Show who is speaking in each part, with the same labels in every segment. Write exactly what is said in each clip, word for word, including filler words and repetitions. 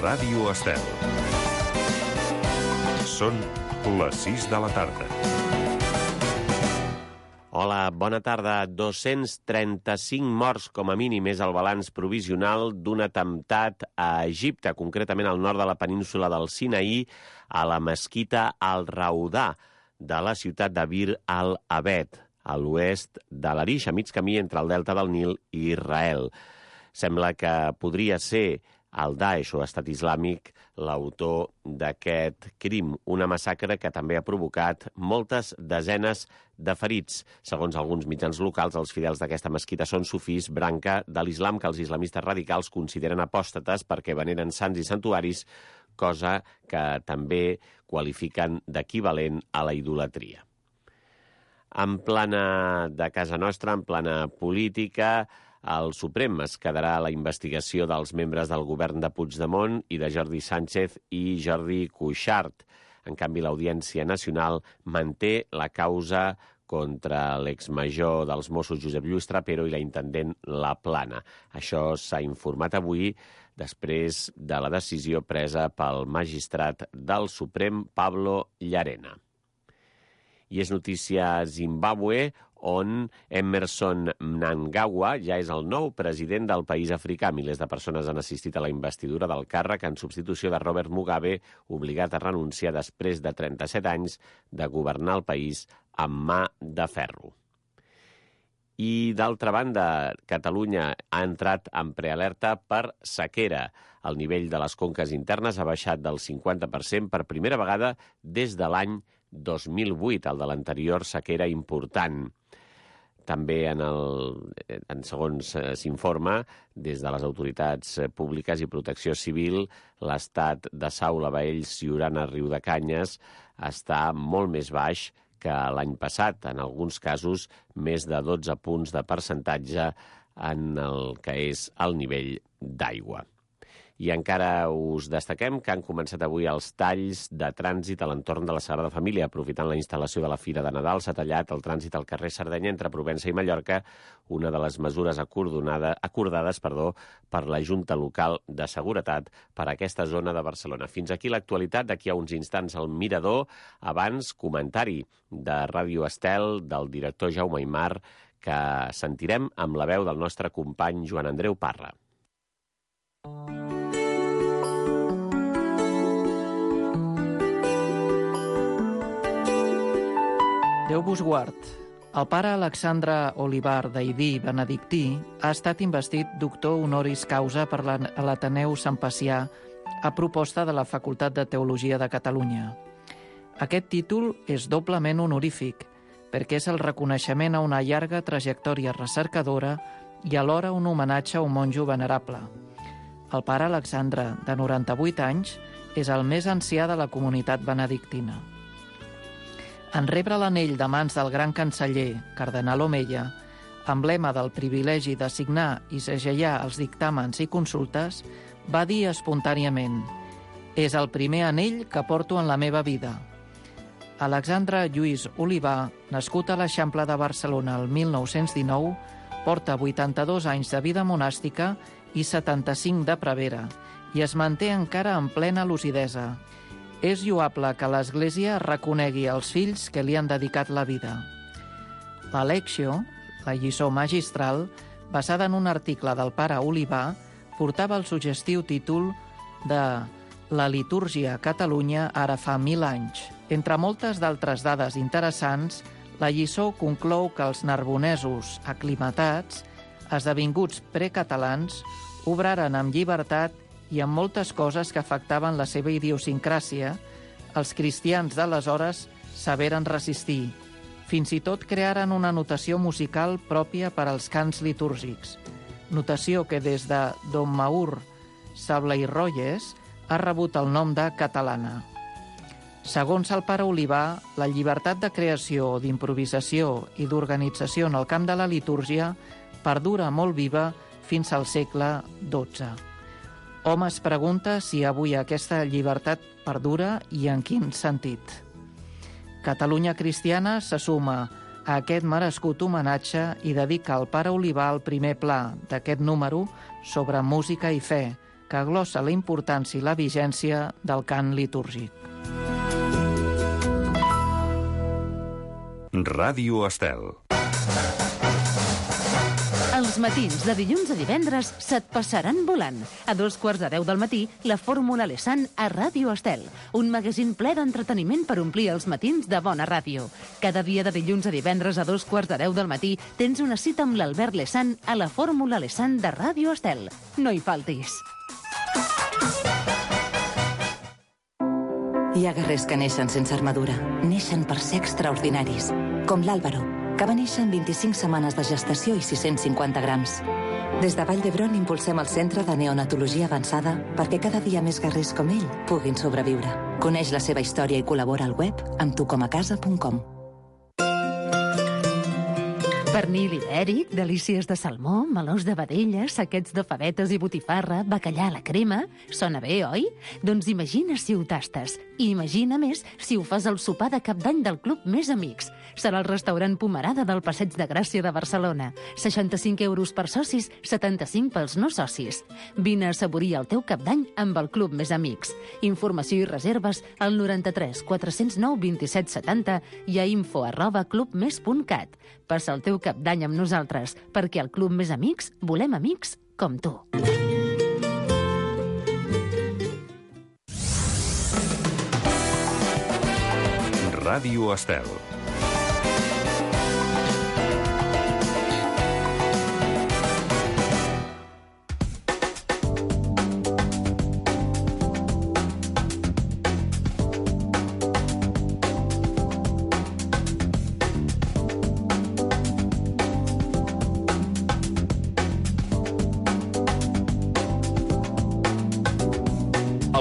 Speaker 1: Ràdio Estel. Són les sis de la tarda.
Speaker 2: Hola, bona tarda. dos-cents trenta-cinc morts com a mínim és el balanç provisional d'un atemptat a Egipte, concretament al nord de la península del Sinaí, a la mesquita Al-Raudà de la ciutat de Bir al-Abed, a l'oest de l'Arish, a mig camí entre el delta del Nil i Israel. Sembla que podria ser el Daesh o Estat Islàmic l'autor d'aquest crim, una massacre que també ha provocat moltes desenes de ferits. Segons alguns mitjans locals, els fidels d'aquesta mesquita són sufís, branca de l'islam que els islamistes radicals consideren apòstates perquè veneren sants i santuaris, cosa que també qualifiquen d'equivalent a la idolatria. En plana de casa nostra, en plana política, el Suprem es quedarà a la investigació dels membres del govern de Puigdemont i de Jordi Sánchez i Jordi Cuixart. En canvi, l'Audiència Nacional manté la causa contra l'exmajor dels Mossos Josep Lluís Trapero i la intendent La Plana. Això s'ha informat avui després de la decisió presa pel magistrat del Suprem, Pablo Llarena. I és notícia a Zimbàbue, on Emmerson Mnangagwa ja és el nou president del país africà. Milers de persones han assistit a la investidura del càrrec en substitució de Robert Mugabe, obligat a renunciar després de trenta-set anys de governar el país amb mà de ferro. I, d'altra banda, Catalunya ha entrat en prealerta per sequera. El nivell de les conques internes ha baixat del cinquanta per cent per primera vegada des de l'any dos mil vuit, el de l'anterior sequera important. També, en el, en segons s'informa, des de les autoritats públiques i protecció civil, l'estat de Saula, Baells, Siurana, Riudecanyes està molt més baix que l'any passat, en alguns casos més de dotze punts de percentatge en el que és el nivell d'aigua. I encara us destaquem que han començat avui els talls de trànsit a l'entorn de la Sagrada Família. Aprofitant la instal·lació de la Fira de Nadal, s'ha tallat el trànsit al carrer Sardenya entre Provença i Mallorca, una de les mesures acordades perdó, per la Junta Local de Seguretat per a aquesta zona de Barcelona. Fins aquí l'actualitat. D'aquí a uns instants al Mirador. Abans, comentari de Ràdio Estel del director Jaume Aymar, que sentirem amb la veu del nostre company Joan Andreu Parra.
Speaker 3: Déu vos guard. El pare Alexandre Olivar d'Aidí Benedictí ha estat investit doctor honoris causa per l'Ateneu Sant Pacià a proposta de la Facultat de Teologia de Catalunya. Aquest títol és doblement honorífic perquè és el reconeixement a una llarga trajectòria recercadora i alhora un homenatge a un monjo venerable. El pare Alexandre, de noranta-vuit anys, és el més ancià de la comunitat benedictina. En rebre l'anell de mans del gran canceller, cardenal Omeia, emblema del privilegi de signar i segellar els dictàmens i consultes, va dir espontàniament: «És el primer anell que porto en la meva vida». Alexandre Lluís Olivar, nascut a l'Eixample de Barcelona el mil nou-cents dinou, porta vuitanta-dos anys de vida monàstica i setanta-cinc de prevera, i es manté encara en plena lucidesa. És lloable que l'Església reconegui els fills que li han dedicat la vida. La Lectio, la lliçó magistral, basada en un article del pare Olivar, portava el suggestiu títol de La litúrgia a Catalunya ara fa mil anys. Entre moltes d'altres dades interessants, la lliçó conclou que els narbonesos aclimatats, esdevinguts precatalans, obraren amb llibertat i amb moltes coses que afectaven la seva idiosincràsia, els cristians d'aleshores saberen resistir. Fins i tot crearen una notació musical pròpia per als cants litúrgics, notació que des de Don Maur Sabla i Royes ha rebut el nom de catalana. Segons el pare Olivar, la llibertat de creació, d'improvisació i d'organització en el camp de la litúrgia perdura molt viva fins al segle dotze. Hom es pregunta si avui aquesta llibertat perdura i en quin sentit. Catalunya Cristiana se suma a aquest merescut homenatge i dedica al pare Olivar el primer pla d'aquest número sobre música i fe, que glossa la importància i la vigència del cant litúrgic.
Speaker 1: Ràdio Estel.
Speaker 4: Els matins de dilluns a divendres se't passaran volant. A dos quarts de deu del matí, la Fórmula Lesan a Ràdio Estel. Un magazín ple d'entreteniment per omplir els matins de bona ràdio. Cada dia de dilluns a divendres a dos quarts de deu del matí tens una cita amb l'Albert Lesan a la Fórmula Lesan de Ràdio Estel. No hi faltis.
Speaker 5: Hi ha guerrers que neixen sense armadura. Neixen per ser extraordinaris. Com l'Àlvaro, que va néixer en vint-i-cinc setmanes de gestació i sis-cents cinquanta grams. Des de Vall d'Hebron impulsem el Centre de Neonatologia Avançada perquè cada dia més guerrers com ell puguin sobreviure. Coneix la seva història i col·labora al web amb tu com a casa punt com.
Speaker 4: Pernil ibèric, delícies de salmó, melós de vedella, saquets de favetes i botifarra, bacallà a la crema... Sona bé, oi? Doncs imagina si ho tastes. I imagina més si ho fas al sopar de cap d'any del Club Més Amics. Serà el restaurant Pomerada del Passeig de Gràcia de Barcelona. seixanta-cinc euros per socis, setanta-cinc pels no socis. Vine a assaborir el teu cap d'any amb el Club Més Amics. Informació i reserves al noranta-tres quatre-cents nou vint-i-set setanta i a info arroba clubmes punt cat. Passa el teu cap d'any amb nosaltres, perquè al Club Més Amics volem amics com tu.
Speaker 1: Ràdio Estel.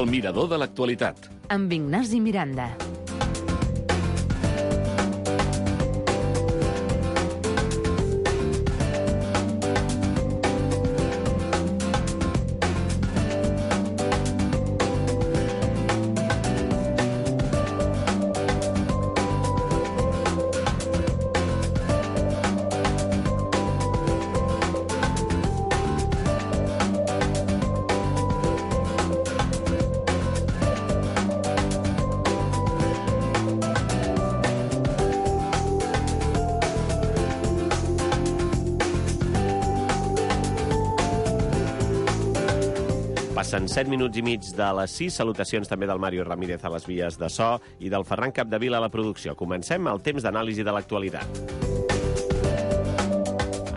Speaker 6: El mirador de l'actualitat.
Speaker 4: Amb Ignasi Miranda.
Speaker 2: Passen set minuts i mig de les sis. Salutacions també del Mario Ramírez a les vies de so i del Ferran Capdevila a la producció. Comencem el temps d'anàlisi de l'actualitat.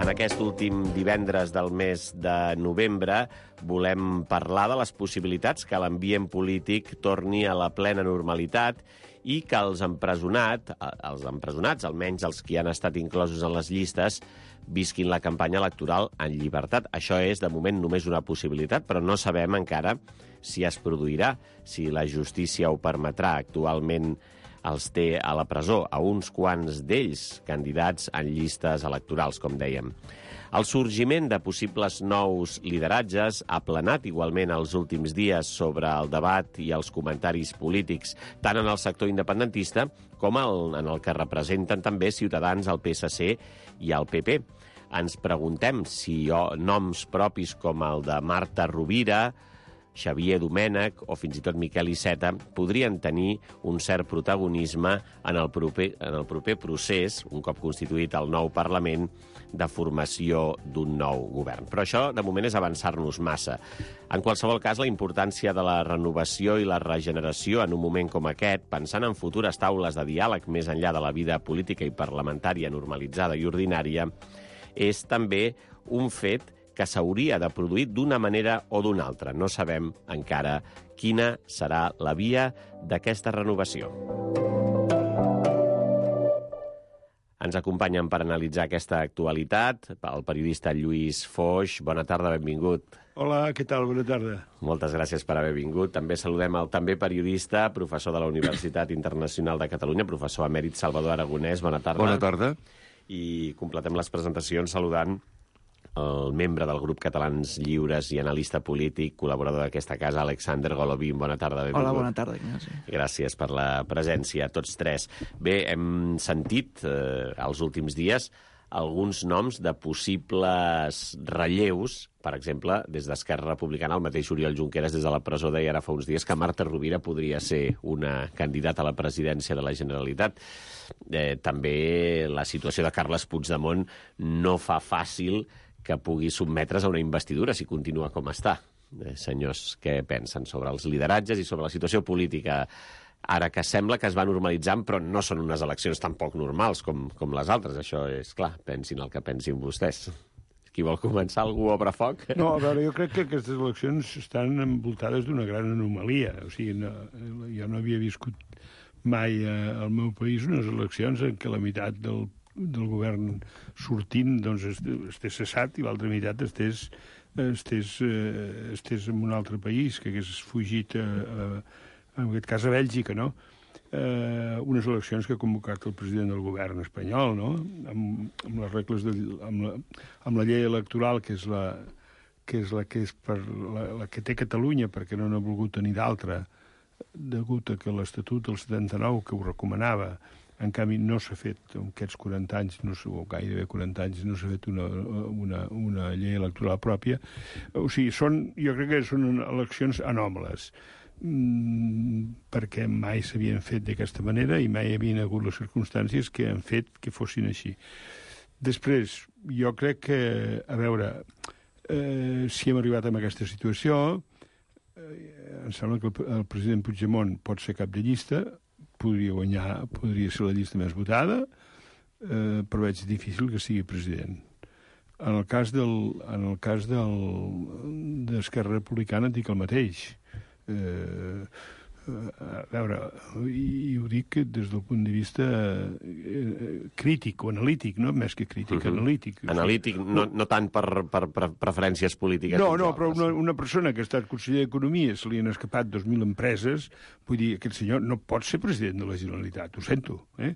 Speaker 2: En aquest últim divendres del mes de novembre volem parlar de les possibilitats que l'ambient polític torni a la plena normalitat i que els empresonats, els empresonats, almenys els que han estat inclosos en les llistes, visquin la campanya electoral en llibertat. Això és, de moment, només una possibilitat, però no sabem encara si es produirà, si la justícia ho permetrà. Actualment els té a la presó, a uns quants d'ells, candidats en llistes electorals, com dèiem. El sorgiment de possibles nous lideratges ha planat igualment els últims dies sobre el debat i els comentaris polítics, tant en el sector independentista com el, en el que representen també Ciutadans, el P S C i el P P. Ens preguntem si noms propis com el de Marta Rovira, Xavier Domènech o fins i tot Miquel Iceta podrien tenir un cert protagonisme en el proper, en el proper procés, un cop constituït el nou Parlament, de formació d'un nou govern. Però això, de moment, és avançar-nos massa. En qualsevol cas, la importància de la renovació i la regeneració en un moment com aquest, pensant en futures taules de diàleg més enllà de la vida política i parlamentària normalitzada i ordinària, és també un fet que s'hauria de produir d'una manera o d'una altra. No sabem encara quina serà la via d'aquesta renovació. Ens acompanyen per analitzar aquesta actualitat el periodista Lluís Foix. Bona tarda, benvingut.
Speaker 7: Hola, què tal? Bona tarda.
Speaker 2: Moltes gràcies per haver vingut. També saludem el també periodista, professor de la Universitat Internacional de Catalunya, professor emèrit Salvador Aragonès. Bona tarda.
Speaker 7: Bona tarda.
Speaker 2: I completem les presentacions saludant el membre del grup Catalans Lliures i analista polític, col·laborador d'aquesta casa, Alexander Golovin. Bona tarda, benvingut.
Speaker 3: Hola, bona tarda, Ignasi.
Speaker 2: Gràcies per la presència, tots tres. Bé, hem sentit eh, els últims dies alguns noms de possibles relleus. Per exemple, des d'Esquerra Republicana, el mateix Oriol Junqueras des de la presó deia ara fa uns dies que Marta Rovira podria ser una candidata a la presidència de la Generalitat. Eh, també la situació de Carles Puigdemont no fa fàcil que pugui sotmetre's a una investidura si continua com està. Eh, senyors, què pensen sobre els lideratges i sobre la situació política ara que sembla que es va normalitzant, però no són unes eleccions tan poc normals com, com les altres? Això és clar, pensin el que pensin vostès. Qui vol començar? Algú obre foc?
Speaker 7: No, a veure, jo crec que aquestes eleccions estan envoltades d'una gran anomalia. O sigui, no, jo no havia viscut mai eh, al meu país unes eleccions en què la meitat del, del govern sortint doncs, estés cessat i l'altra meitat estés, estés, eh, estés en un altre país, que hagués fugit a, a, en aquest cas a Bèlgica, no? Eh, unes eleccions que ha convocat el president del govern espanyol, no? Amb, amb les regles de, amb, la, amb la llei electoral, que és la que és la que és per la, la que té Catalunya, perquè no n'ha volgut tenir d'altra, degut a que l'Estatut del setanta-nou, que ho recomanava, en canvi no s'ha fet en aquests quaranta anys, no, o gairebé quaranta anys, no s'ha fet una, una, una llei electoral pròpia. O sigui, són, jo crec que són eleccions anòmales, perquè mai s'havien fet d'aquesta manera i mai hi havien hagut les circumstàncies que han fet que fossin així. Després, jo crec que, a veure, eh, si hem arribat a aquesta situació, eh, em sembla que el, el president Puigdemont pot ser cap de llista, podria guanyar, podria ser la llista més votada, eh, però veig difícil que sigui president. En el cas del, en el cas del, d'Esquerra Republicana dic el mateix. Eh, a veure, i, i ho dic des del punt de vista eh, crític o analític, no? Més que crític, uh-huh. analític.
Speaker 2: Analític, no, no tant per, per, per preferències polítiques.
Speaker 7: No, no, però una, una persona que ha estat conseller d'Economia, se li han escapat dos mil empreses, vull dir, aquest senyor no pot ser president de la Generalitat, ho sento, eh?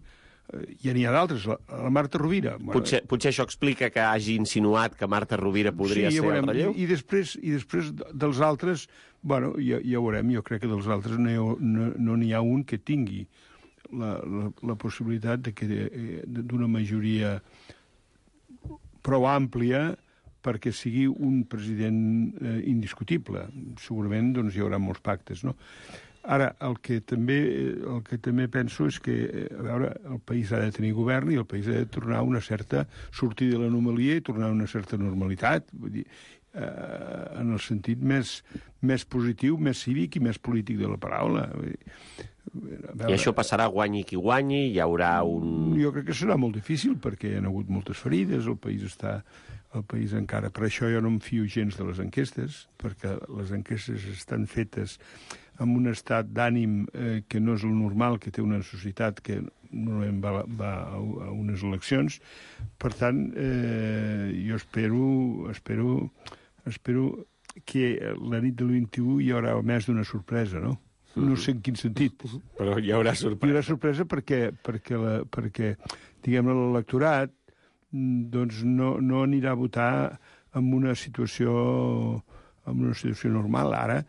Speaker 7: Ja n'hi ha d'altres, la, la Marta Rovira. Bueno,
Speaker 2: potser, potser això explica que hagi insinuat que Marta Rovira podria
Speaker 7: sí, ja
Speaker 2: ser
Speaker 7: veurem,
Speaker 2: el relleu?
Speaker 7: I, i, després, I després dels altres, bueno, ja, ja veurem, jo crec que dels altres no, no, no n'hi ha un que tingui la, la, la possibilitat de que d'una majoria prou àmplia perquè sigui un president eh, indiscutible. Segurament doncs, hi haurà molts pactes, no? Ara, el que també, el que també penso és que, a veure, el país ha de tenir govern i el país ha de tornar a una certa sortida de l'anomalia i tornar a una certa normalitat, vull dir, eh, en el sentit més, més positiu, més cívic i més polític de la paraula. Vull dir,
Speaker 2: veure, I això passarà guanyi qui guanyi? Hi haurà un...
Speaker 7: Jo crec que serà molt difícil perquè hi ha hagut moltes ferides, el país està... El país encara... Per això jo no em fio gens de les enquestes, perquè les enquestes estan fetes amb un estat d'ànim eh, que no és el normal, que té una societat que normalment va, va a unes eleccions. Per tant, eh, jo espero, espero, espero que la nit del vint-i-u hi haurà més d'una sorpresa, no? No sé en quin sentit.
Speaker 2: Però hi haurà sorpresa.
Speaker 7: Hi haurà sorpresa perquè, perquè, la, perquè diguem-ne, l'electorat doncs no, no anirà a votar en una situació en una situació normal. Ara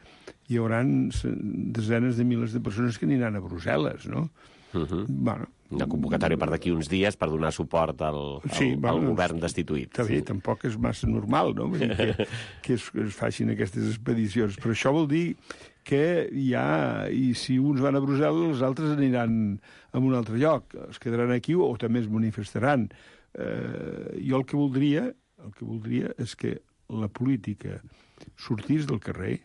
Speaker 7: hi haurà desenes de milers de persones que aniran a Brussel·les, no?
Speaker 2: Uh-huh.
Speaker 7: Bueno,
Speaker 2: una convocatòria per d'aquí uns dies per donar suport al, al,
Speaker 7: sí, bueno,
Speaker 2: al govern destituït.
Speaker 7: Està bé, sí. Tampoc és massa normal, no? Vull dir que, que, es, que es facin aquestes expedicions. Però això vol dir que hi ha... I si uns van a Brussel·les, els altres aniran a un altre lloc. Es quedaran aquí o també es manifestaran. Eh, jo el que voldria el que voldria és que la política sortís del carrer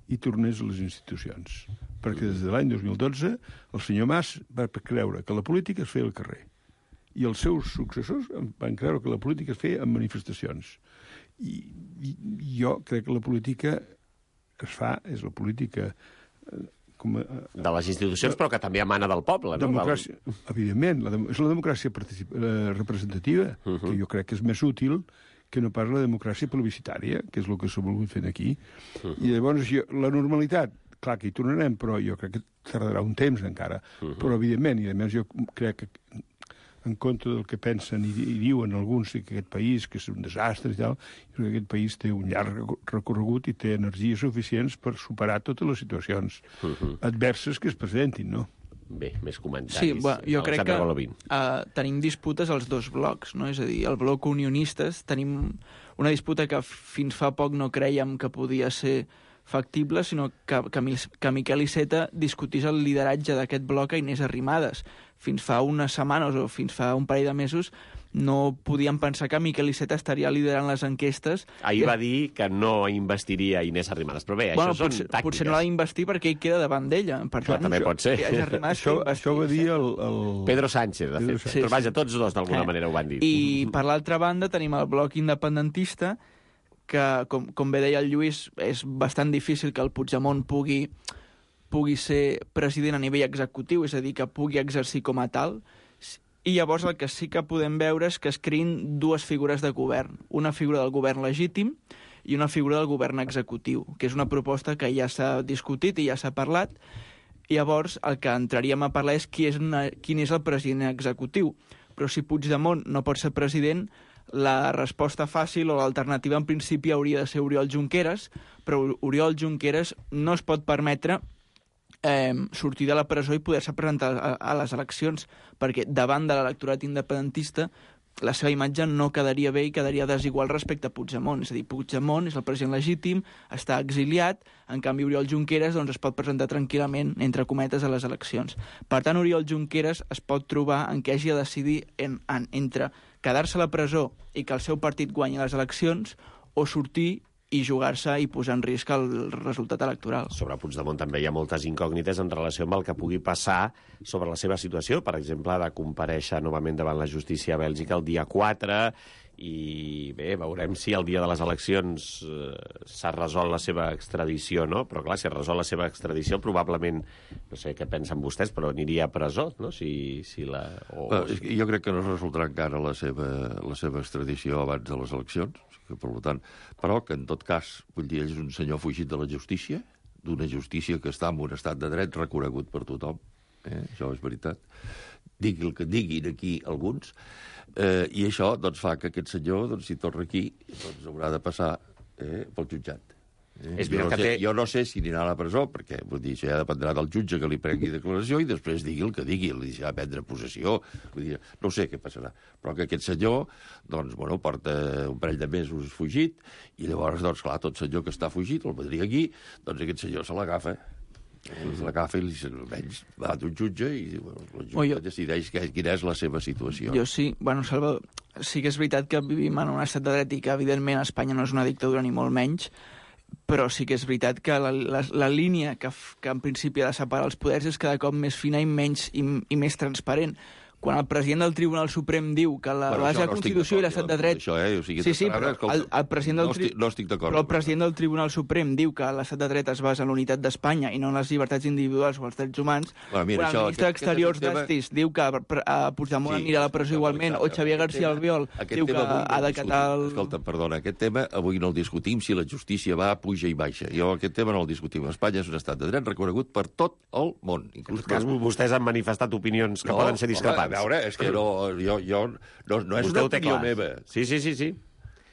Speaker 7: i tornés a les institucions. Perquè des de l'any dos mil dotze el senyor Mas va creure que la política es feia al carrer i els seus successors van creure que la política es feia en manifestacions. I, i jo crec que la política es fa, és la política... Eh, com a,
Speaker 2: de les institucions, però que també emana del poble, no?
Speaker 7: Democràcia, evidentment, la, és la democràcia eh, representativa, uh-huh. que jo crec que és més útil que no pas la democràcia plebiscitària, que és el que s'ha volgut fer aquí. Uh-huh. I llavors, jo, la normalitat, clar que hi tornarem, però jo crec que tardarà un temps encara. Uh-huh. Però, evidentment, i a més jo crec que en contra del que pensen i, i diuen alguns que aquest país, que és un desastre i tal, jo crec que aquest país té un llarg recorregut i té energies suficients per superar totes les situacions uh-huh. adverses que es presentin, no?
Speaker 2: Bé, més comentaris.
Speaker 3: Sí, bueno, jo crec
Speaker 2: Alexandre
Speaker 3: que
Speaker 2: Golovin.
Speaker 3: uh, tenim disputes als dos blocs, no? És a dir, el bloc unionistes tenim una disputa que fins fa poc no creiem que podia ser factible, sinó que, que, que Miquel Iceta discutís el lideratge d'aquest bloc a Inés Arrimadas. Fins fa unes setmanes o fins fa un parell de mesos no podíem pensar que Miquel Iceta estaria liderant les enquestes.
Speaker 2: Ahir va dir que no investiria Inés Arrimadas, però bé,
Speaker 3: bueno,
Speaker 2: això són
Speaker 3: potser,
Speaker 2: tàctiques.
Speaker 3: Potser no l'ha d'investir perquè ell queda davant d'ella. Per
Speaker 2: Clar,
Speaker 3: tant,
Speaker 2: també
Speaker 3: això,
Speaker 2: pot ser.
Speaker 7: Això, això ho va dir el... el...
Speaker 2: Pedro Sánchez, de
Speaker 7: Pedro
Speaker 2: fet.
Speaker 7: Sánchez.
Speaker 2: Però vaja, tots dos d'alguna
Speaker 3: Eh.
Speaker 2: manera ho van dir.
Speaker 3: I per l'altra banda tenim el bloc independentista, que, com, com bé deia el Lluís, és bastant difícil que el Puigdemont pugui, pugui ser president a nivell executiu, és a dir, que pugui exercir com a tal. I llavors el que sí que podem veure és que es creïn dues figures de govern. Una figura del govern legítim i una figura del govern executiu, que és una proposta que ja s'ha discutit i ja s'ha parlat. I llavors el que entraríem a parlar és qui és una, quin és el president executiu. Però si Puigdemont no pot ser president, la resposta fàcil o l'alternativa en principi hauria de ser Oriol Junqueras, però Oriol Junqueras no es pot permetre Eh, sortir de la presó i poder-se presentar a, a les eleccions, perquè davant de l'electorat independentista la seva imatge no quedaria bé i quedaria desigual respecte a Puigdemont. És a dir, Puigdemont és el president legítim, està exiliat, en canvi Oriol Junqueras doncs, es pot presentar tranquil·lament, entre cometes, a les eleccions. Per tant, Oriol Junqueras es pot trobar en què hagi de decidir en, en, entre quedar-se a la presó i que el seu partit guanyi les eleccions o sortir i jugar-se i posar en risc el resultat electoral.
Speaker 2: Sobre Puigdemont també hi ha moltes incògnites en relació amb el que pugui passar sobre la seva situació. Per exemple, de comparèixer novament davant la justícia a Bèlgica el dia quatre i bé, veurem si el dia de les eleccions eh, s'ha resolt la seva extradició, no? Però clar, si es resol la seva extradició, probablement, no sé què pensen vostès, però aniria a presó, no? Si, si la... O...
Speaker 8: Bueno, jo crec que no es resoldrà encara la seva, la seva extradició abans de les eleccions, que, per tant, però que en tot cas, vull dir, ell és un senyor fugit de la justícia, d'una justícia que està en un estat de dret reconegut per tothom, eh? Això és veritat. Digui el que diguin aquí alguns, eh, i això doncs, fa que aquest senyor, doncs, si torna aquí, doncs, haurà de passar eh, pel jutjat. Eh?
Speaker 2: És
Speaker 8: Jo, no
Speaker 2: que
Speaker 8: sé,
Speaker 2: té...
Speaker 8: jo no sé si anirà a la presó, perquè vull dir, això ja dependrà del jutge que li prengui declaració i després digui el que digui, li deixarà prendre possessió. Vull dir, no sé què passarà. Però que aquest senyor, doncs, bueno, porta un parell de mesos fugit i llavors, doncs, clar, tot senyor que està fugit, el vendria aquí, doncs aquest senyor se l'agafa. Se l'agafa i almenys va d'un jutge i bueno, el jutge
Speaker 3: Oh, jo...
Speaker 8: decideix que, quina és la seva situació.
Speaker 3: Jo sí, bueno, Salva, sí que és veritat que vivim en un estat de dret i que, evidentment, Espanya no és una dictadura ni molt menys, però sí que és veritat que la, la, la línia que, que en principi ha de separar els poders és cada cop més fina i menys i, i més transparent. Quan el president del Tribunal Suprem diu que la
Speaker 8: Bueno,
Speaker 3: base de
Speaker 8: això
Speaker 3: la
Speaker 8: no estic
Speaker 3: Constitució i
Speaker 8: d'acord,
Speaker 3: l'estat
Speaker 8: jo,
Speaker 3: de dret...
Speaker 8: això, eh? O sigui,
Speaker 3: sí, sí,
Speaker 8: ara,
Speaker 3: però
Speaker 8: escolta,
Speaker 3: el, el president del
Speaker 8: no
Speaker 3: tri...
Speaker 8: estic- no estic d'acord
Speaker 3: Però el
Speaker 8: amb
Speaker 3: president del Tribunal Suprem diu que l'estat de dret es basa en l'unitat d'Espanya i no en les llibertats individuals o els drets humans.
Speaker 8: Bueno, mira,
Speaker 3: quan
Speaker 8: això,
Speaker 3: el ministre
Speaker 8: aquest-
Speaker 3: d'Exteriors
Speaker 8: aquest és un tema-
Speaker 3: d'Estis diu que a Puigdemont
Speaker 8: Sí,
Speaker 3: anirà a la presó
Speaker 8: escolta,
Speaker 3: igualment, o
Speaker 8: Alexandre,
Speaker 3: Xavier
Speaker 8: aquest
Speaker 3: García
Speaker 8: tema-
Speaker 3: Albiol
Speaker 8: aquest
Speaker 3: diu que
Speaker 8: tema avui no
Speaker 3: ha
Speaker 8: el
Speaker 3: d'acatar el...
Speaker 8: discutim. Escolta, perdona, aquest tema avui no el discutim si la justícia va, puja i baixa. Jo aquest tema no el discutim. Espanya és un estat de dret reconegut per tot el món.
Speaker 2: En
Speaker 8: Inclús
Speaker 2: tot cas, vostès han manifestat opinions que poden ser discrepants.
Speaker 8: Home, a veure, és que no, jo, jo, no, no és
Speaker 2: Vostè
Speaker 8: una
Speaker 2: ho té
Speaker 8: opinió
Speaker 2: clar.
Speaker 8: meva.
Speaker 2: Sí, sí, sí, sí.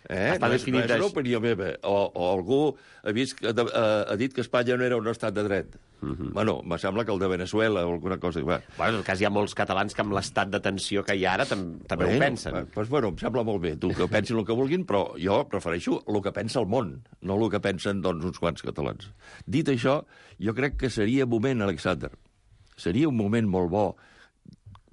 Speaker 8: Eh?
Speaker 2: Està
Speaker 8: No és, no
Speaker 2: definit
Speaker 8: és una
Speaker 2: així.
Speaker 8: opinió meva. O, o algú ha, vist, que, ha, ha dit que Espanya no era un estat de dret. Uh -huh. Bueno, me sembla que el de Venezuela o alguna cosa... Bueno,
Speaker 2: Bueno, en tot cas, hi ha molts catalans que amb l'estat de tensió que hi ha ara tam també
Speaker 8: bueno,
Speaker 2: ho pensen.
Speaker 8: Doncs, pues, bueno, em sembla molt bé. Tu que pensin el que vulguin, però jo prefereixo el que pensa el món, no el que pensen doncs, uns quants catalans. Dit això, jo crec que seria moment, Alexander, seria un moment molt bo,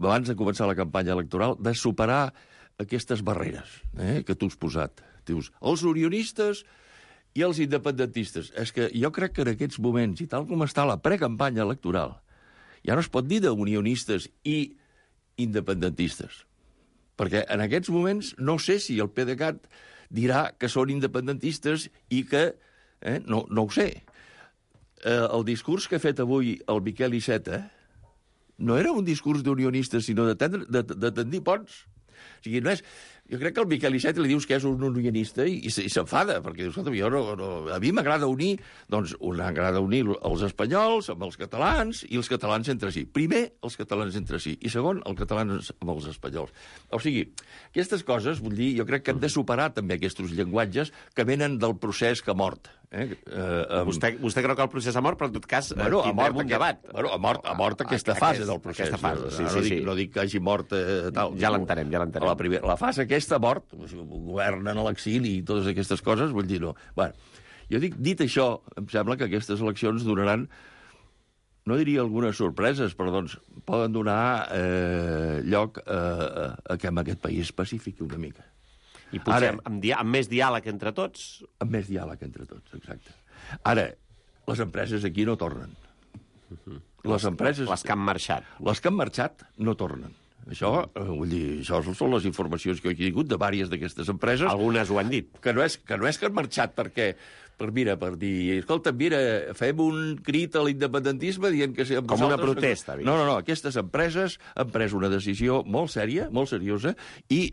Speaker 8: abans de començar la campanya electoral, de superar aquestes barreres eh, que tu has posat. Dius, els unionistes i els independentistes. És que jo crec que en aquests moments, i tal com està la precampanya electoral, ja no es pot dir d'unionistes i independentistes. Perquè en aquests moments no sé si el PDeCAT dirà que són independentistes i que... Eh, no, no ho sé. Eh, el discurs que ha fet avui el Miquel Iceta no era un discurs d'unionistes, sinó de, tendre, de, de tendir ponts. O sigui, no és... jo crec que el Miquel Iceta li dius que és un unionista i, i s'enfada, perquè dius, escolta, jo no, no, a mi m'agrada unir, doncs m'agrada unir els espanyols amb els catalans i els catalans entre si. Primer, els catalans entre si, i segon, els catalans amb els espanyols. O sigui, aquestes coses, vull dir, jo crec que hem de superar també aquests llenguatges que venen del procés que ha mort. Eh? Uh, um...
Speaker 2: vostè, vostè creu que el procés ha mort, però en tot cas
Speaker 8: bueno,
Speaker 2: tindrem
Speaker 8: mort
Speaker 2: un
Speaker 8: aquest,
Speaker 2: debat.
Speaker 8: Bueno, ha mort, ha mort aquesta
Speaker 2: Aquest,
Speaker 8: fase del procés.
Speaker 2: Aquesta fase, sí,
Speaker 8: no,
Speaker 2: sí,
Speaker 8: no, dic,
Speaker 2: sí.
Speaker 8: no dic que hagi mort eh, tal.
Speaker 2: Ja l'entenem, ja l'entenem.
Speaker 8: La, primera, la fase aquesta ha mort, governen a l'exili i totes aquestes coses, vull dir, no. Bueno, jo dic, dit això, em sembla que aquestes eleccions donaran, no diria algunes sorpreses, però doncs poden donar eh, lloc a, a, a que en aquest país pacifici una mica.
Speaker 2: I potser
Speaker 8: Ara,
Speaker 2: amb, amb, dia, amb més diàleg entre tots?
Speaker 8: Amb més diàleg entre tots, exacte. Ara, les empreses aquí no tornen.
Speaker 2: Uh-huh.
Speaker 8: Les empreses...
Speaker 2: Les que han marxat.
Speaker 8: Les que han marxat no tornen. Això, eh, vull dir, això són les informacions que he tingut de vàries d'aquestes empreses.
Speaker 2: Algunes ho han dit.
Speaker 8: Que no és que, no és que han marxat perquè, per, mira, per dir, escolta, mira, fem un crit a l'independentisme dient que...
Speaker 2: Com vosaltres... una protesta.
Speaker 8: No, no, no, aquestes empreses han pres una decisió molt sèria, molt seriosa, i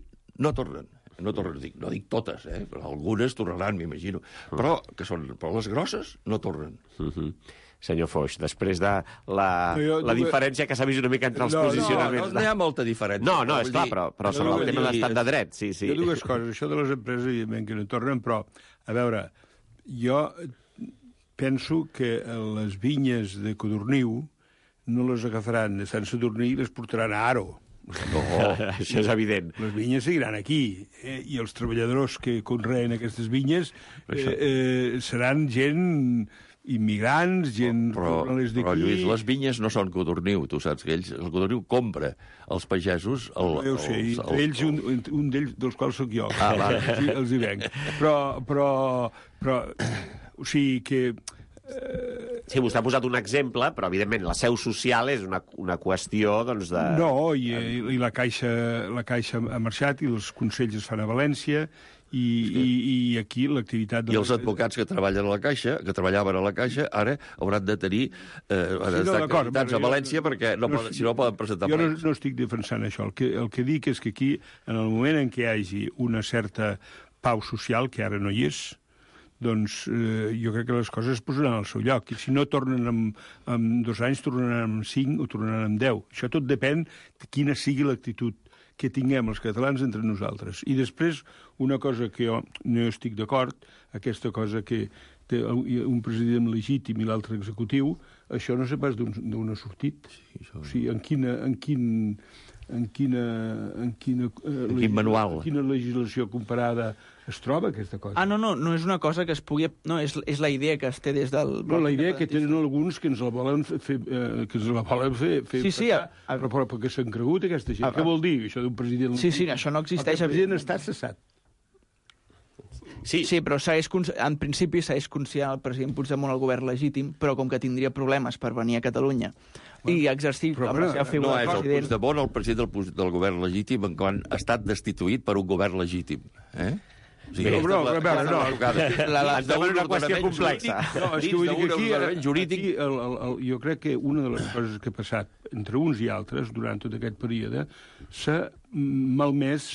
Speaker 8: no tornen. No, tornen, dic, no dic totes, eh? Però algunes tornaran, m'imagino. Uh. Però, que són, però les grosses no tornen.
Speaker 2: Uh-huh. Senyor Foix, després de la,
Speaker 7: jo,
Speaker 2: la
Speaker 7: jo,
Speaker 2: diferència que s'ha vist una mica entre els
Speaker 7: no,
Speaker 2: posicionaments...
Speaker 8: No, no, no hi ha molta diferència.
Speaker 2: No, no,
Speaker 8: Vull
Speaker 2: esclar,
Speaker 8: dir,
Speaker 2: però, però sobre el tema de l'estat de dret, sí, sí.
Speaker 7: Hi ha dues coses. Això de les empreses, evidentment, que no tornen, però, a veure, jo penso que les vinyes de Codorniu no les agafaran de Sant Sadurní i les portaran a Aro.
Speaker 2: No, això és evident.
Speaker 7: Les vinyes seguiran aquí, eh? I els treballadors que conreen aquestes vinyes eh, eh, seran gent immigrants, gent...
Speaker 8: Però, però, Lluís, les vinyes no són Codorniu, tu saps que ells, el Codorniu compra als pagesos... El,
Speaker 7: jo ho sé,
Speaker 8: els,
Speaker 7: els, ells, un, un d'ells dels quals sóc jo,
Speaker 8: ah, vale.
Speaker 7: els, els hi venc. Però, però, però, o sigui que...
Speaker 2: Sí, vostè ha posat un exemple, però evidentment la seu social és una, una qüestió doncs, de...
Speaker 7: No, i, i la, caixa, la Caixa ha marxat i els consells es fan a València i, sí. i, i aquí l'activitat... De...
Speaker 8: I els advocats que treballen a la Caixa, que treballaven a la Caixa, ara hauran de tenir eh, sí, no, acreditats a València jo, perquè no, no, poden, si no poden presentar
Speaker 7: jo
Speaker 8: plens.
Speaker 7: Jo no, no estic defensant això. El que, el que dic és que aquí, en el moment en què hi hagi una certa pau social, que ara no hi és, doncs eh, jo crec que les coses es posaran al seu lloc. I si no tornen en, en dos anys, tornaran en cinc o tornaran en deu. Això tot depèn de quina sigui l'actitud que tinguem els catalans entre nosaltres. I després, una cosa que jo no estic d'acord, aquesta cosa que té un president legítim i l'altre executiu, això no sé pas d'on ha sortit. Sí, això... O sigui, en quina... En quin... en quina, en quina, eh,
Speaker 8: en quin manual.
Speaker 7: En quina legislació comparada es troba aquesta cosa.
Speaker 9: Ah, no, no, no és una cosa que es pugui... No, és, és la idea que es té des del...
Speaker 7: No, la idea que tenen alguns que ens la volen fer, eh, que ens la volen fer, fer
Speaker 9: sí, sí,
Speaker 7: passar, a, a, però, però perquè s'han cregut aquesta gent. A, a, Què vol dir, això d'un president...
Speaker 9: Sí, sí, això no existeix.
Speaker 7: El president està cessat.
Speaker 9: Sí, sí, però segueix, en principi segueix considerant el president Puigdemont el govern legítim, però com que tindria problemes per venir a Catalunya bueno, i exercir
Speaker 7: però,
Speaker 9: amb la seva figura
Speaker 8: no és
Speaker 9: el
Speaker 8: president... el Puigdemont el president del, del govern legítim en quan ha estat destituït per un govern legítim. Eh? O sigui,
Speaker 7: Bé, però, a veure, no,
Speaker 2: la, la, ens demana una qüestió complexa.
Speaker 7: No, és que vull dir que aquí, jurídic... aquí el, el, el, jo crec que una de les coses que ha passat entre uns i altres durant tot aquest període s'ha malmès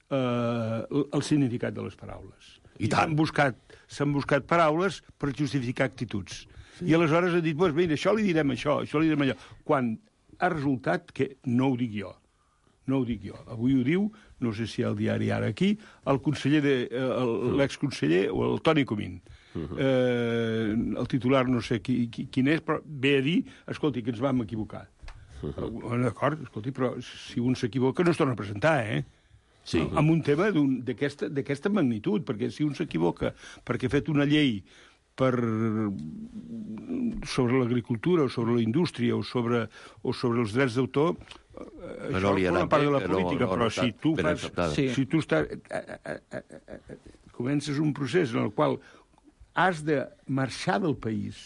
Speaker 7: eh, el significat de les paraules.
Speaker 8: I
Speaker 7: s'han buscat, s'han buscat paraules per justificar actituds. Sí. I aleshores ha dit, pues, mira, això li direm això, això li direm allò. Quan ha resultat que no ho dic jo. No ho dic jo. Avui ho diu, no sé si al diari Ara aquí, el conseller de, l'exconseller o el Toni Comín. Uh-huh. Eh, el titular no sé qui, qui, quin és, però ve a dir, escolti, que ens vam equivocar. Uh-huh. D'acord, escolti, però si un s'equivoca no es torna a presentar, eh? Sí. Amb un tema d'aquesta magnitud, perquè si un s'equivoca perquè ha fet una llei per, sobre l'agricultura o sobre la indústria o sobre, o sobre els drets d'autor, això no forma part de la política, no, no, però no, si tu fas... Sí. Si tu estàs, a, a, a, a, a, comences un procés en el qual has de marxar del país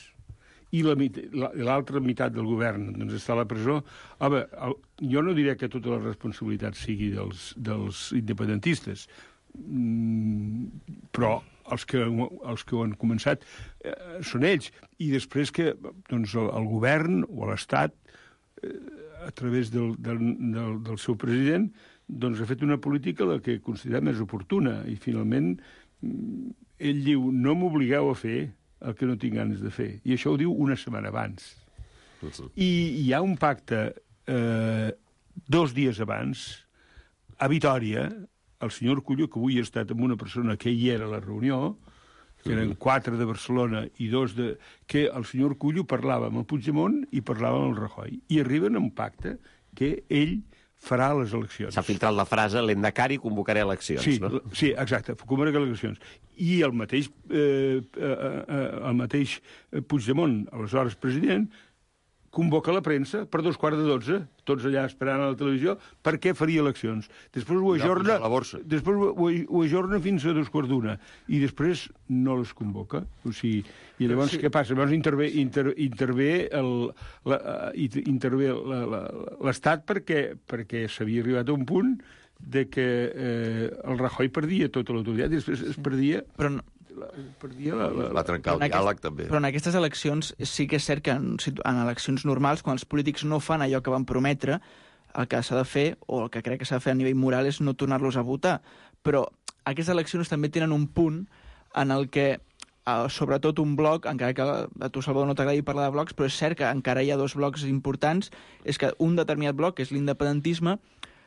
Speaker 7: i l'altra meitat del govern doncs, està a la presó, home, el, jo no diré que tota la responsabilitat sigui dels, dels independentistes, mm, però els que, els que ho han començat eh, són ells. I després que doncs, el, el govern o l'Estat, eh, a través del, del, del, del seu president, doncs ha fet una política la que considera més oportuna, i finalment ell diu, no m'obligueu a fer el que no tinc ganes de fer. I això ho diu una setmana abans. I hi ha un pacte eh, dos dies abans, a Vitòria, el senyor Cullo, que avui ha estat amb una persona que hi era a la reunió, que eren quatre de Barcelona i dos de... que el senyor Cullo parlava amb el Puigdemont i parlava amb el Rajoy. I arriben a un pacte que ell farà les eleccions.
Speaker 2: S'ha filtrat la frase, l'endacari convocaré eleccions,
Speaker 7: sí,
Speaker 2: no?
Speaker 7: Sí, exacte, convocaré eleccions. I el mateix, eh, eh, eh, el mateix Puigdemont, aleshores president, convoca la premsa per dos quarts de dotze, tots allà esperant a la televisió, perquè faria eleccions. Després ho ajorna, després ho, ho ajorna fins a dos quarts d'una, i després no les convoca. O sigui, i llavors sí. Què passa? Llavors intervé, inter, intervé el, la, intervé l'Estat perquè, perquè s'havia arribat a un punt de que eh, el Rajoy perdia tota l'autoritat, i després es perdia... Però no... perdia la, la,
Speaker 8: va trencar el diàleg, aquest, també.
Speaker 9: Però en aquestes eleccions sí que és cert que en, en eleccions normals, quan els polítics no fan allò que van prometre, el que s'ha de fer, o el que crec que s'ha de fer a nivell moral, és no tornar-los a votar. Però aquestes eleccions també tenen un punt en el que, eh, sobretot un bloc, encara que a tu, Salvador, no t'agradi parlar de blocs, però és cert que encara hi ha dos blocs importants, és que un determinat bloc, que és l'independentisme,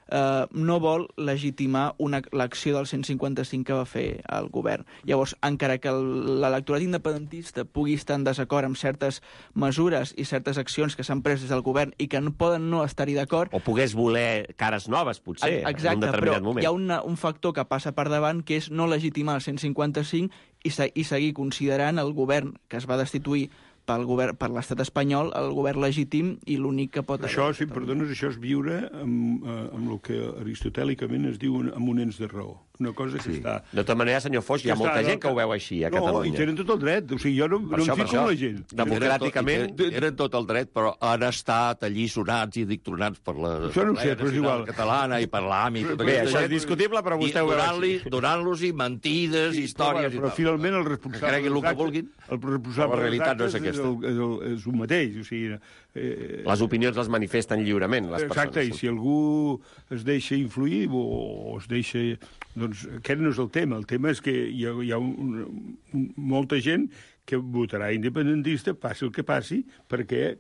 Speaker 9: Uh, no vol legitimar una, l'acció del cent cinquanta-cinc que va fer el govern. Llavors, encara que l'electorat independentista pugui estar en desacord amb certes mesures i certes accions que s'han pres des del govern i que no poden no estar-hi d'acord...
Speaker 2: O pogués voler cares noves, potser,
Speaker 9: exacte,
Speaker 2: en un determinat
Speaker 9: però
Speaker 2: moment.
Speaker 9: Hi ha una, un factor que passa per davant, que és no legitimar el cent cinquanta-cinc i, se, i seguir considerant el govern que es va destituir pel govern, per l'estat espanyol, el govern legítim i l'únic que pot...
Speaker 7: Això, si em perdones, això és viure amb, amb el que aristotèlicament es diu amb un ens de raó. Una cosa que sí. Està...
Speaker 2: De tota manera, senyor Foix, hi ha molta gent que ho veu així a
Speaker 7: no,
Speaker 2: Catalunya.
Speaker 7: No, i tenen tot el dret. O sigui, jo no, no em fico amb la gent.
Speaker 2: Democràticament...
Speaker 8: Tenen, tenen tot el dret, però han estat allisonats i dictronats per la...
Speaker 7: Això no ho sé, però és igual.
Speaker 8: Catalana i per l'A M I.
Speaker 2: Bé, això és discutible, però vostè ho veu així.
Speaker 8: Donant-los-hi mentides,
Speaker 7: sí,
Speaker 8: històries
Speaker 7: però, però,
Speaker 8: i tal.
Speaker 7: finalment el responsable...
Speaker 8: Que creguin el que vulguin.
Speaker 7: El responsable
Speaker 8: la realitat no és aquesta.
Speaker 7: És, el, és, el, és un mateix. O sigui, eh,
Speaker 2: les opinions les manifesten lliurement, les persones.
Speaker 7: Exacte, i si algú es deixa influir o, o es deixa... Doncs aquest no és el tema. El tema és que hi ha, hi ha un, un, molta gent que votarà independentista, passi el que passi, perquè...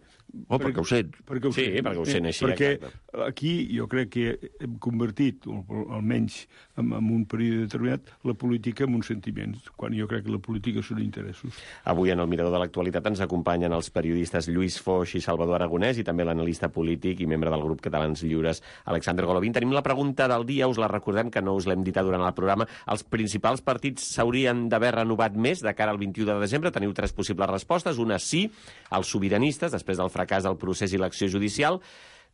Speaker 8: Oh, perquè, perquè ho sent.
Speaker 7: Perquè ho
Speaker 2: sí,
Speaker 7: sent.
Speaker 2: perquè ho sent així.
Speaker 7: Perquè aquí jo crec que hem convertit, almenys en, en un període determinat, la política en uns sentiments, quan jo crec que la política són interessos.
Speaker 2: Avui en el Mirador de l'Actualitat ens acompanyen els periodistes Lluís Foix i Salvador Aragonès i també l'analista polític i membre del grup Catalans Lliures, Alexander Golovin. Tenim la pregunta del dia, us la recordem, que no us l'hem dit durant el programa. Els principals partits s'haurien d'haver renovat més de cara al vint-i-u de desembre. Teniu tres possibles respostes. Una, sí, els sobiranistes, després del fracàs del procés i l'acció judicial.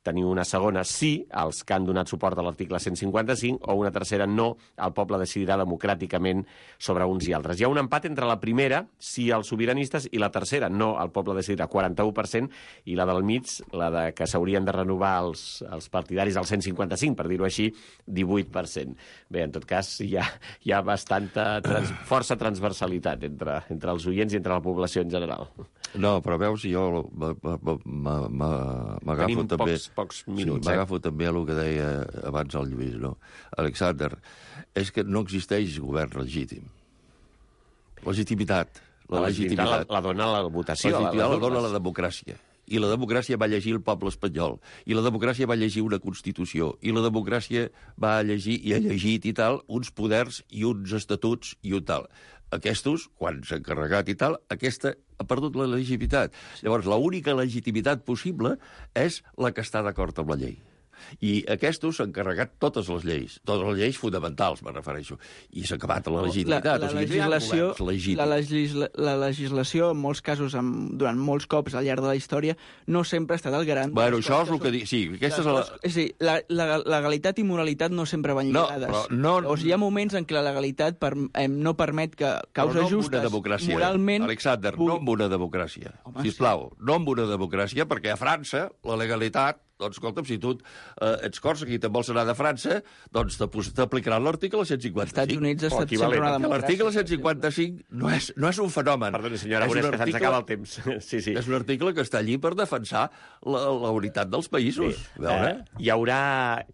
Speaker 2: Teniu una segona, sí, els que han donat suport a l'article cent cinquanta-cinc, o una tercera, no, el poble decidirà democràticament sobre uns i altres. Hi ha un empat entre la primera, sí, els sobiranistes, i la tercera, no, el poble decidirà, quaranta-u per cent, i la del mig, la de que s'haurien de renovar els, els partidaris al cent cinquanta-cinc, per dir-ho així, divuit per cent. Bé, en tot cas, hi ha, hi ha bastanta trans, força transversalitat entre, entre els oients i entre la població en general.
Speaker 8: No, però veus, jo m'agafo també...
Speaker 2: Pocs, pocs minuts,
Speaker 8: sí, m'agafo eh? també a el que deia abans el Lluís, no? Alexander, és que no existeix govern legítim. Legitimitat. La,
Speaker 2: la legitimitat la, la dona la votació.
Speaker 8: La legitimitat la, la dona la democràcia. I la democràcia va llegir el poble espanyol. I la democràcia va llegir una Constitució. I la democràcia va llegir, i ha llegit i tal, uns poders i uns estatuts i un tal. Aquestos, quan s'ha encarregat i tal, aquesta ha perdut la legitimitat. Llavors, l'única legitimitat possible és la que està d'acord amb la llei. I aquestos s'han carregat totes les lleis, totes les lleis fonamentals, me refereixo, i s'ha acabat la legitimitat.
Speaker 9: La, la,
Speaker 8: o sigui,
Speaker 9: legislació,
Speaker 8: no
Speaker 9: la, legisla, la legislació, en molts casos, amb, durant molts cops al llarg de la història, no sempre ha estat el garant.
Speaker 8: Bueno, això és el que dic. Sí, aquesta és la...
Speaker 9: És dir, la, la, la legalitat i moralitat no sempre van lligades.
Speaker 8: No, però no...
Speaker 9: Llavors, hi ha moments en què la legalitat per, eh, no permet que causes
Speaker 8: no
Speaker 9: justes, moralment...
Speaker 8: Alexander, pugui... no amb una democràcia. Home, sisplau, sí. No amb una democràcia, perquè a França la legalitat doncs, escolta'm, si tu eh, ets Còrsega i te'n vols anar de França, doncs t'aplicaran l'article cent cinquanta-cinc.
Speaker 9: Estats Units ha
Speaker 2: Oh,
Speaker 9: estat sempre una democràcia.
Speaker 8: L'article cent cinquanta-cinc no és, no és un fenomen.
Speaker 2: Perdoni, senyora Aragonès, que se'ns acaba el temps. Sí, sí.
Speaker 8: És un article que està allí per defensar la, la unitat dels països.
Speaker 2: Sí.
Speaker 8: Veure?
Speaker 2: Eh, hi haurà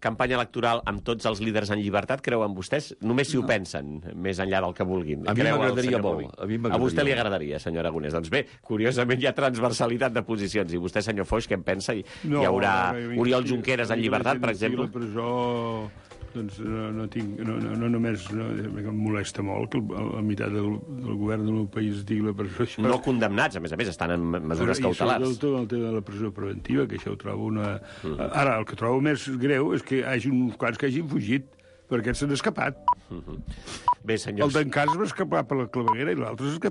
Speaker 2: campanya electoral amb tots els líders en llibertat, creuen vostès? Només si ho pensen, més enllà del que vulguin.
Speaker 8: A mi
Speaker 2: Creu el
Speaker 8: m'agradaria
Speaker 2: senyor
Speaker 8: molt,
Speaker 2: Poli?
Speaker 8: a mi
Speaker 2: A
Speaker 8: m'agradaria
Speaker 2: vostè li
Speaker 8: molt.
Speaker 2: agradaria, senyor Aragonès. Doncs bé, curiosament hi ha transversalitat de posicions. I vostè, senyor Foix, què en pensa? Hi,
Speaker 7: No,
Speaker 2: hi haurà
Speaker 7: a mi-
Speaker 2: Oriol Junqueras en
Speaker 7: a mi
Speaker 2: llibertat,
Speaker 7: la
Speaker 2: per
Speaker 7: gent
Speaker 2: exemple?
Speaker 7: A la presó, doncs no, no tinc... No, no, no només... No, em molesta molt que el, la meitat del, del govern del meu país estigui a la presó. Això,
Speaker 2: No condemnats, a més a més, estan en mesures
Speaker 7: Però,
Speaker 2: cautelars.
Speaker 7: I sobretot el tema de la presó preventiva, que això ho trobo una... Mm. Ara, el que trobo més greu és que hi hagi uns quants que hagin fugit, perquè aquests s'han escapat.
Speaker 2: Bé, senyors...
Speaker 7: El d'en Cas va escapar per la claveguera i l'altre s'ha escapat